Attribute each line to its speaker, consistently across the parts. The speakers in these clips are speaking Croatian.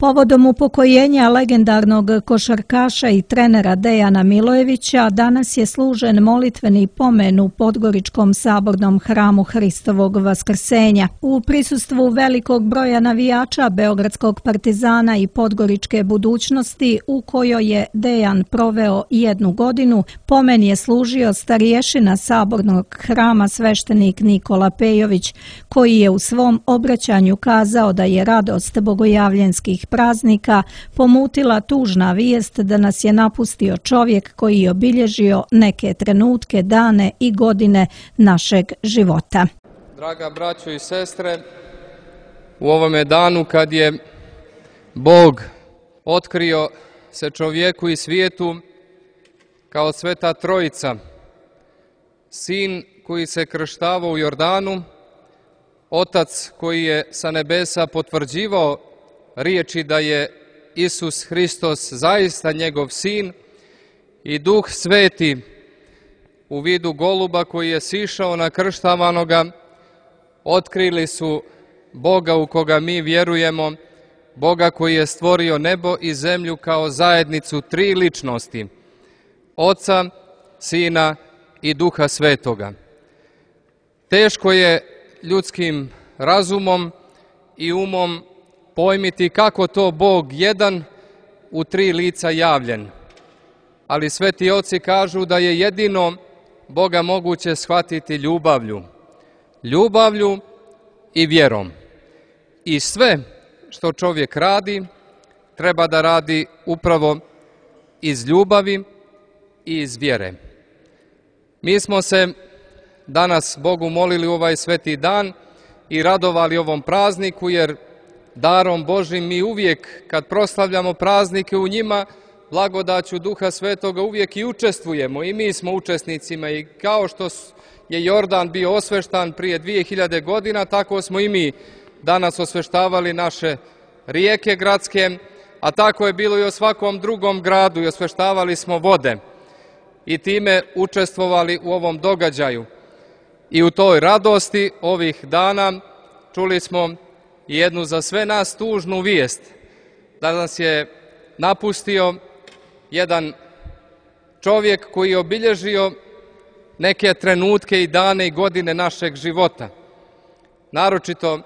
Speaker 1: Povodom upokojenja legendarnog košarkaša i trenera Dejana Milojevića danas je služen molitveni pomen u Podgoričkom sabornom hramu Hristovog Vaskrsenja. U prisustvu velikog broja navijača Beogradskog Partizana i Podgoričke budućnosti, u kojoj je Dejan proveo 1 godinu, pomen je služio starješina sabornog hrama sveštenik Nikola Pejović, koji je u svom obraćanju kazao da je radost bogojavljenskih praznika pomutila tužna vijest da nas je napustio čovjek koji je obilježio neke trenutke, dane i godine našeg života.
Speaker 2: Draga braćo i sestre, u ovome danu kad je Bog otkrio se čovjeku i svijetu kao Sveta Trojica, Sin koji se krštavao u Jordanu, Otac koji je sa nebesa potvrđivao riječi da je Isus Hristos zaista njegov Sin, i Duh Sveti u vidu goluba koji je sišao na krštavanoga, otkrili su Boga u koga mi vjerujemo, Boga koji je stvorio nebo i zemlju kao zajednicu 3 ličnosti, Oca, Sina i Duha Svetoga. Teško je ljudskim razumom i umom pojmiti kako to Bog jedan u 3 lica javljen, ali sveti oci kažu da je jedino Boga moguće shvatiti ljubavlju i vjerom. I sve što čovjek radi, treba da radi upravo iz ljubavi i iz vjere. Mi smo se danas Bogu molili u ovaj sveti dan i radovali ovom prazniku, jer darom Božim mi uvijek kad proslavljamo praznike u njima, blagodaću Duha Svetoga uvijek i učestvujemo, i mi smo učesnicima, i kao što je Jordan bio osveštan prije 2000 godina, tako smo i mi danas osveštavali naše rijeke gradske, a tako je bilo i o svakom drugom gradu, i osveštavali smo vode i time učestvovali u ovom događaju. I u toj radosti ovih dana čuli smo jednu za sve nas tužnu vijest, da nas je napustio jedan čovjek koji je obilježio neke trenutke i dane i godine našeg života. Naročito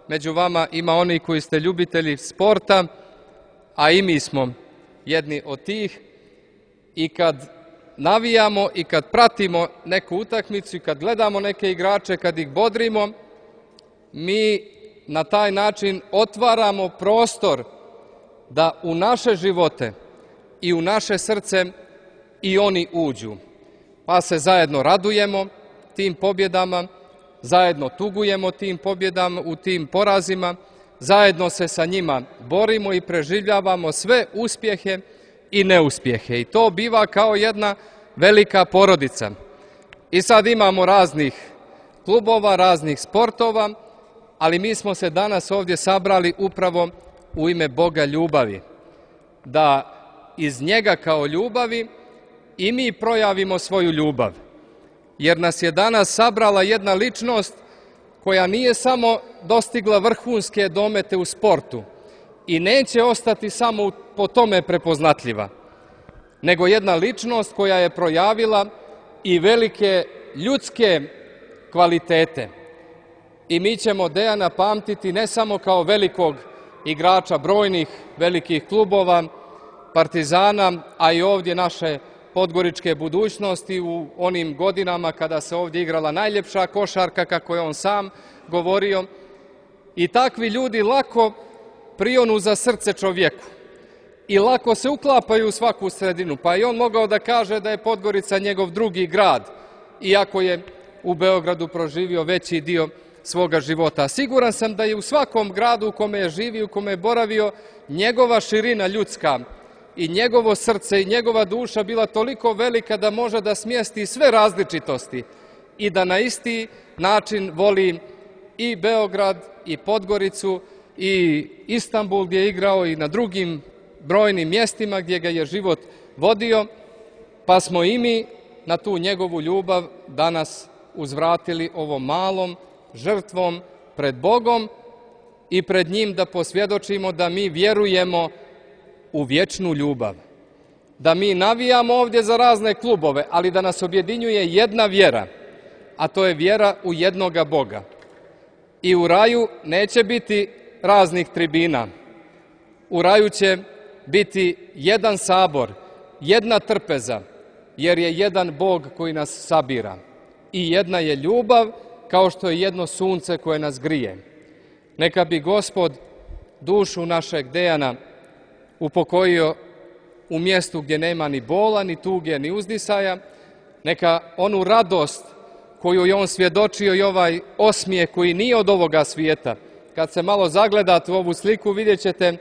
Speaker 2: među vama ima oni koji ste ljubitelji sporta, a i mi smo jedni od tih, i kad navijamo i kad pratimo neku utakmicu i kad gledamo neke igrače, kad ih bodrimo, mi na taj način otvaramo prostor da u naše živote i u naše srce i oni uđu. Pa se zajedno radujemo tim pobjedama, zajedno tugujemo tim pobjedama, u tim porazima, zajedno se sa njima borimo i preživljavamo sve uspjehe i neuspjehe. I to biva kao jedna velika porodica. I sad imamo raznih klubova, raznih sportova, ali mi smo se danas ovdje sabrali upravo u ime Boga ljubavi, da iz njega kao ljubavi i mi projavimo svoju ljubav. Jer nas je danas sabrala jedna ličnost koja nije samo dostigla vrhunske domete u sportu i neće ostati samo po tome prepoznatljiva, nego jedna ličnost koja je projavila i velike ljudske kvalitete. I mi ćemo Dejana pamtiti ne samo kao velikog igrača brojnih velikih klubova, Partizana, a i ovdje naše podgoričke budućnosti u onim godinama kada se ovdje igrala najljepša košarka, kako je on sam govorio. I takvi ljudi lako prionu za srce čovjeku i lako se uklapaju u svaku sredinu. Pa i on mogao da kaže da je Podgorica njegov drugi grad, iako je u Beogradu proživio veći dio svoga života. Siguran sam da je u svakom gradu u kome je živio, u kome je boravio, njegova širina ljudska i njegovo srce i njegova duša bila toliko velika da može da smjesti sve različitosti i da na isti način voli i Beograd i Podgoricu i Istanbul gdje je igrao i na drugim brojnim mjestima gdje ga je život vodio, pa smo i mi na tu njegovu ljubav danas uzvratili ovom malom žrtvom pred Bogom, i pred njim da posvjedočimo da mi vjerujemo u vječnu ljubav. Da mi navijamo ovdje za razne klubove, ali da nas objedinjuje jedna vjera, a to je vjera u jednoga Boga. I u raju neće biti raznih tribina. U raju će biti jedan sabor, jedna trpeza, jer je jedan Bog koji nas sabira. I jedna je ljubav, kao što je jedno sunce koje nas grije. Neka bi Gospod dušu našeg Dejana upokojio u mjestu gdje nema ni bola, ni tuge, ni uzdisaja. Neka onu radost koju je on svjedočio i ovaj osmijeh koji nije od ovoga svijeta. Kad se malo zagledate u ovu sliku, vidjet ćete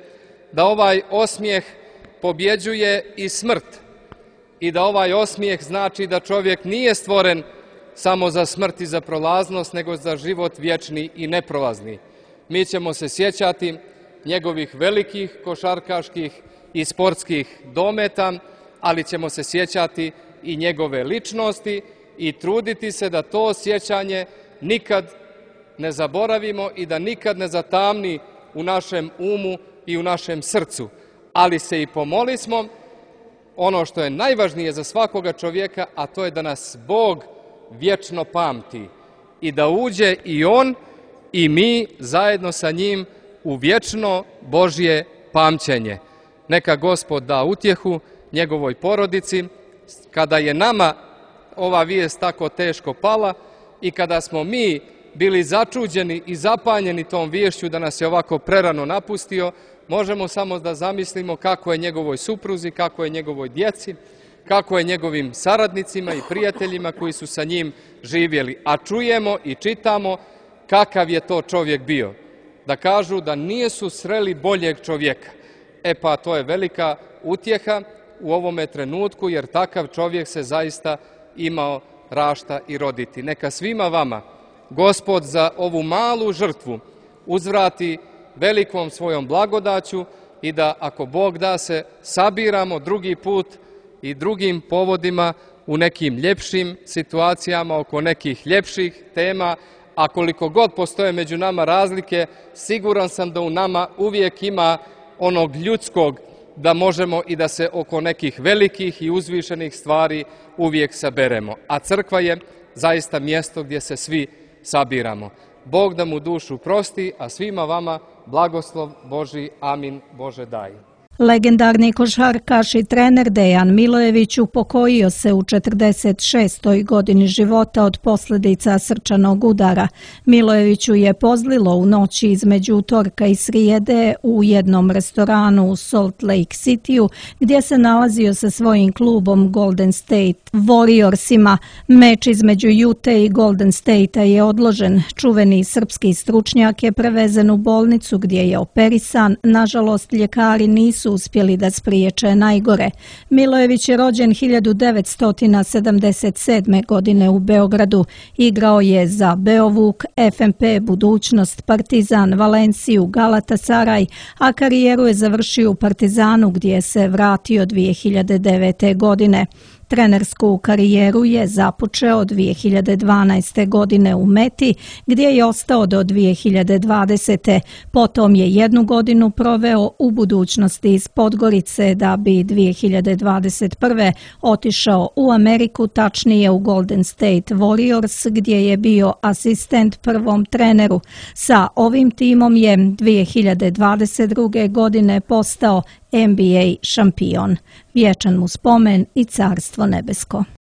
Speaker 2: da ovaj osmijeh pobjeđuje i smrt. I da ovaj osmijeh znači da čovjek nije stvoren samo za smrt i za prolaznost, nego za život vječni i neprolazni. Mi ćemo se sjećati njegovih velikih košarkaških i sportskih dometa, ali ćemo se sjećati i njegove ličnosti i truditi se da to sjećanje nikad ne zaboravimo i da nikad ne zatamni u našem umu i u našem srcu. Ali se i pomolismo ono što je najvažnije za svakoga čovjeka, a to je da nas Bog vječno pamti i da uđe i on i mi zajedno sa njim u vječno Božje pamćenje. Neka Gospod da utjehu njegovoj porodici kada je nama ova vijest tako teško pala i kada smo mi bili začuđeni i zapanjeni tom viješću da nas je ovako prerano napustio. Možemo samo da zamislimo kako je njegovoj supruzi, kako je njegovoj djeci, kako je njegovim saradnicima i prijateljima koji su sa njim živjeli. A čujemo i čitamo kakav je to čovjek bio. Da kažu da nisu sreli boljeg čovjeka. Pa to je velika utjeha u ovome trenutku, jer takav čovjek se zaista imao rašta i roditi. Neka svima vama Gospod za ovu malu žrtvu uzvrati velikom svojom blagodaću i da, ako Bog da, se sabiramo drugi put i drugim povodima u nekim ljepšim situacijama, oko nekih ljepših tema, a koliko god postoje među nama razlike, siguran sam da u nama uvijek ima onog ljudskog, da možemo i da se oko nekih velikih i uzvišenih stvari uvijek saberemo. A crkva je zaista mjesto gdje se svi sabiramo. Bog da mu dušu prosti, a svima vama blagoslov Božji. Amin. Bože daj.
Speaker 1: Legendarni košarkaš i trener Dejan Milojević upokojio se u 46. godini života od posljedica srčanog udara. Milojeviću je pozlilo u noći između utorka i srijede u jednom restoranu u Salt Lake Cityu, gdje se nalazio sa svojim klubom Golden State Warriorsima. Meč između Utah i Golden Statea je odložen. Čuveni srpski stručnjak je prevezen u bolnicu gdje je operisan. Nažalost, ljekari nisu uspjeli da spriječe najgore. Milojević je rođen 1977. godine u Beogradu. Igrao je za Beovuk, FNP Budućnost, Partizan, Valenciju, Galatasaraj, a karijeru je završio u Partizanu gdje se vratio 2009. godine. Trenersku karijeru je započeo 2012. godine u Meti, gdje je ostao do 2020. Potom je jednu godinu proveo u Budućnosti iz Podgorice, da bi 2021. otišao u Ameriku, tačnije u Golden State Warriors, gdje je bio asistent prvom treneru. Sa ovim timom je 2022. godine postao NBA šampion. Vječan mu spomen i carstvo nebesko.